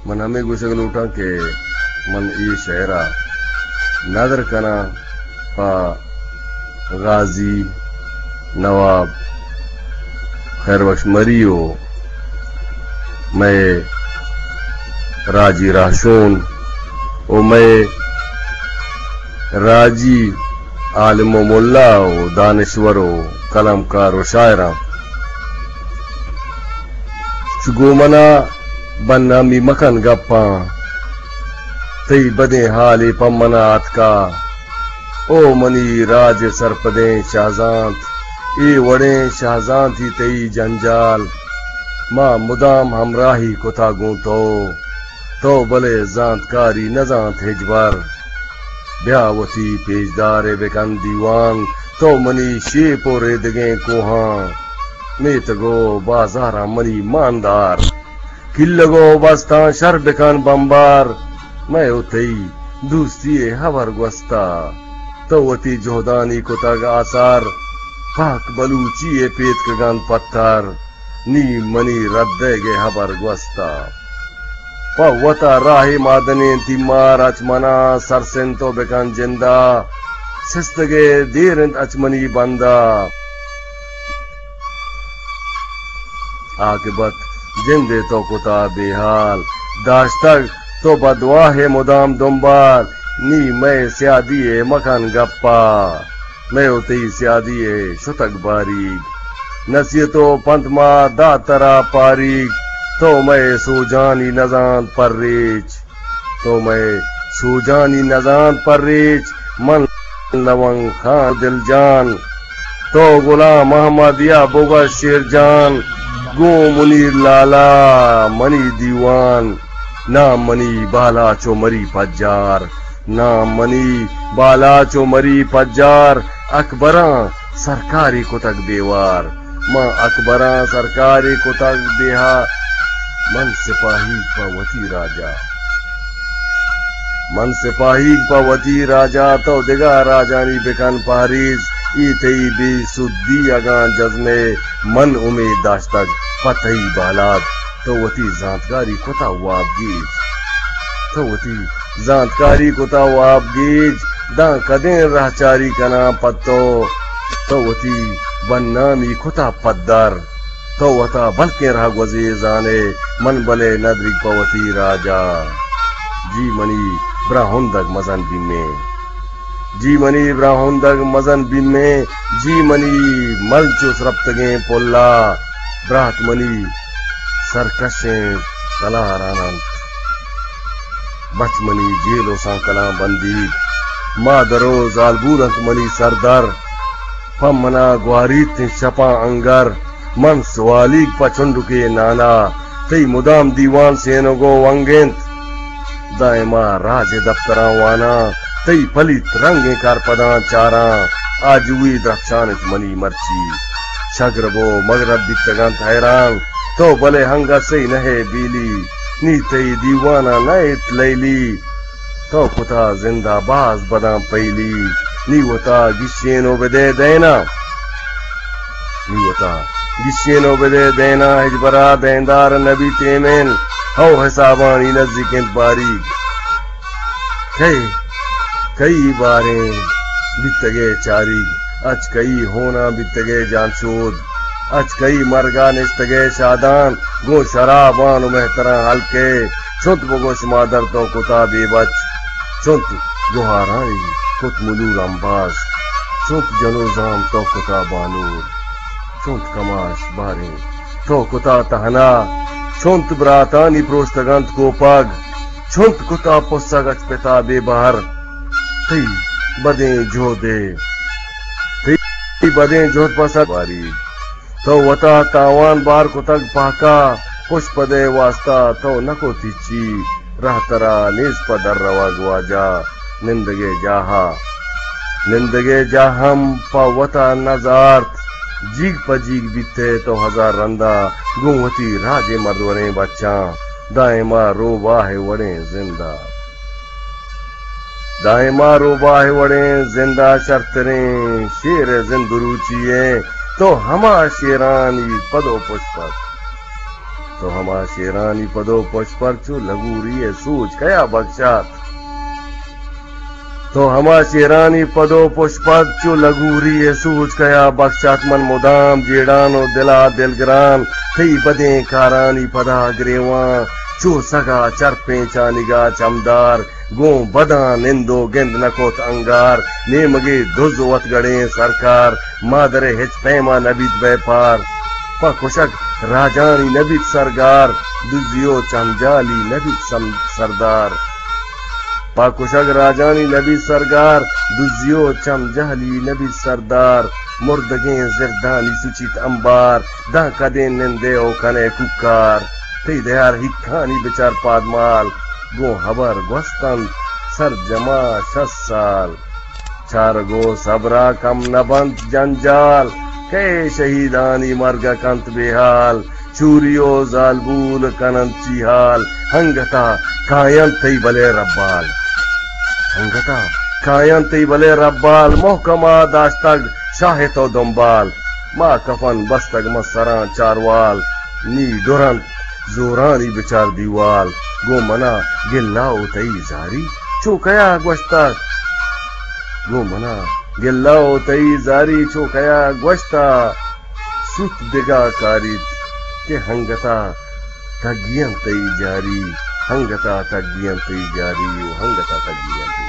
من ہمے گوشگ لوٹاں کہ من اے شعر ءَ ندر کناں پہ غازی نواب خیر بخش مری ءُ مئے راجی راہشون ءُ مئے راجی عالم ءُ ملا ءُ دانشور ءُ قلمکار ءُ شاعراں۔ چو گوں منا بدنامی مکن گپاں، تئی بدیں حالے پہ منا آتکا۔ او منی راج ءِ سرپدیں شہزانت، اے وڑیں شہزانتی تئی جنجال، ما مدام ہمراہی کتا گوں تو۔ تو بلے زانتکاری نزانت ہچبر۔ بیا وتی پیشدارے بکن دیوان، تو منی شیپ ءُ ریدگیں کوہاں۔ میتگ ءُ بازاراں منی ماندار، کلگ ءُ بستاں شر بکن بمبار۔ مئے ءُ تئی دوستی ءِ ہبر گوستا، تو وتی جہدانی کتگ آسر۔ پاک بلوچی ءِ پیتکگاں پتر، نی منی ردئیگ ءِ ہبر گوستا۔ پہ وتا راہے مادنیں تیمار، اچ منا سرسند تو بکن جندا، سستگے دیر انت اچ منی بندا۔ عاقبت جندے تو کتا بے حال، داشتگ تو بدواہ ءِ مدام دنبال، نی مئے سیادی ءِ مکن گپا۔ مئے ءُ تئی سیادی ءِ شتگ باریگ، نصیحت ءُ پنت ما دات ترا پاریگ۔ تو مئے سوجانی نزانت پریچ، تو مئے سوجانی نزانت پریچ۔ من لونگ خان دلجان، تو غلام محمد یا بگش شیر جان۔ گوں منیر لالا منی دیوان، نام منی بالاچ ءُ مری پجار۔ نام منی بالاچ ءُ مری پجار، اکبراں سرکاری کتگ بے وار۔ من اکبراں سرکاری کتگ بے ہار۔ من سپاہیگ پہ وتی راجا، من سپاہیگ پہ وتی راجا، تو دگہ راجانی بکن پہریز۔ اے تئی بے سدی اگاں جزمے، من امید داشتگ پہ تئی بالاد۔ تو وتی زانتکاری کتا واب گیج، تو وتی زانتکاری کتا واب گیج، داں کدیں رہچاری کناں پہ تو۔ تو وتی بدنامی کتا پدر، تو وتا بلکیں رہگوزے زانے، من بلے ندریگ پہ وتی راجا۔ جی منی براہندگ مزن بیمیں، جی منی براہندگ مزن بیمیں، جی منی ملچ ءُ سرپتگیں پلا، برات منی سرکشیں تلاران انت۔ بچ منی جیل ءُ سانکلاں بندیگ، مادر ءُ زالبول انت منی سردر۔ پہ منا گواریت انت شپاں انگر، من سوالیگ پہ چنڈکے نانا۔ تئی مدام دیوان سینگ ءُ ونگ انت، دائما راج ءِ دپتراں واناں۔ تئی پلیت رنگیں کارپداں چاراں، آجوئی درپشان انت منی مرچی۔ شگرب ءُ مگرب بیتگ انت حیران، تو بلے ہنگسے نہ ئے بیلی۔ نی تئی دیواناں نہ ایت لیلی، تو کتا زندا باز بداں پہلی۔ نی وتا گشین ءُ بدے دینا، نی وتا گشین ءُ بدے دینا، ہچبرا دیندار نبیت ایمن۔ ہو حسابانی نزیک انت باریگ۔ کئی، کئی باریں بیتگے چاریگ، اچ کئی ہوناں بیتگے جانشود، اچ کئی مرگا نشتگے شادان، گوں شرابان ءُ مہتراں ہلکے، چنت بگوش مادر تو کتا بے بچ، چنت گوہارانی کت ملور امباز، چنت جنوزام تو کتا بانور، چنت کماش باریں تو کتا تہنا، چنت براتانی پروشتگ انت کوپگ، چنت کتا پسگ اچ پتا بے بہر۔ تئی بدیں جہدے، تئی بدیں جہد پہ سر باری۔ تو وتا تاوان بار کتگ پہکا، پشپدے واستا تو نہ کت ہچی، رہ ترا نیست پہ در روگ واجہ۔ نندگے جاہا، نندگے جاہ ہم پہ وتا نہ زارت۔ جیگ پہ جیگ بیت ئے تو ہزار رندا، گوں وتی راجے مردوریں بچاں، دائما روباہ ءِ وڑیں زندا۔ دائما روباہ ءِ وڑیں زندا، شرتریں شیر ءِ زند روچی ایں، تو ہما شیرانی پد ءُ پشپد۔ تو ہما شیرانی پد و پشپر چو لگوری ءِ سوج کیا بکشات؟ تو ہما شیرانی پد و پشپر چو لگوری ءِ سوج کیا بکشات؟ من مدام جیڑان و دلا دلگران، تئی بدیں کارانی پدا گریوان، چو سگا چرپیں چانگا چمدار، گوں بداں نند و گند نہ کت انگار، نیمگے دز وت گڑیں سرکار، مادر ءِ ہچ پیما نہ بیت بیپار۔ پہ کشگ راجانی نہ بیت سرگار، دزی و چمجالی نہ بیت سم-، سردار۔ پہ کشگ راجانی نہ بیت سرگار، دزی و چمجالی نہ بیت سردار۔ مردگیں زردانی سچیت امبار، داں کدیں نندے و کنے کوکار۔ تئی دیار ہیکانی بچار پادمال، گوں ہبر گوست انت سرجما شست سال۔ چارگ و صبرا کم نہ بنت جنجال، کئے شہیدانی مرگ کنت بے حال۔ چوری و زالبول کننت چی حال، ہنگتا کاینت تئی بلے ربال۔ ہنگتا کاینت تئی بلے ربال، محکما داشتگ شاہ تو دنبال۔ ما کفن بستگ من سراں چاروال، نی ڈرنت زورانی بچار دیوال۔ گوں منا گلہ و تئی زاری چو کیا گوشتگ؟ گوں منا گلہ و تئی زاری چو کیا گوشتگ؟ سوت دگہ کاریت کہ ہنگتا تگی انت تئی جاری، ہنگتا تگی انت تئی جاری و ہنگتا تگی انت۔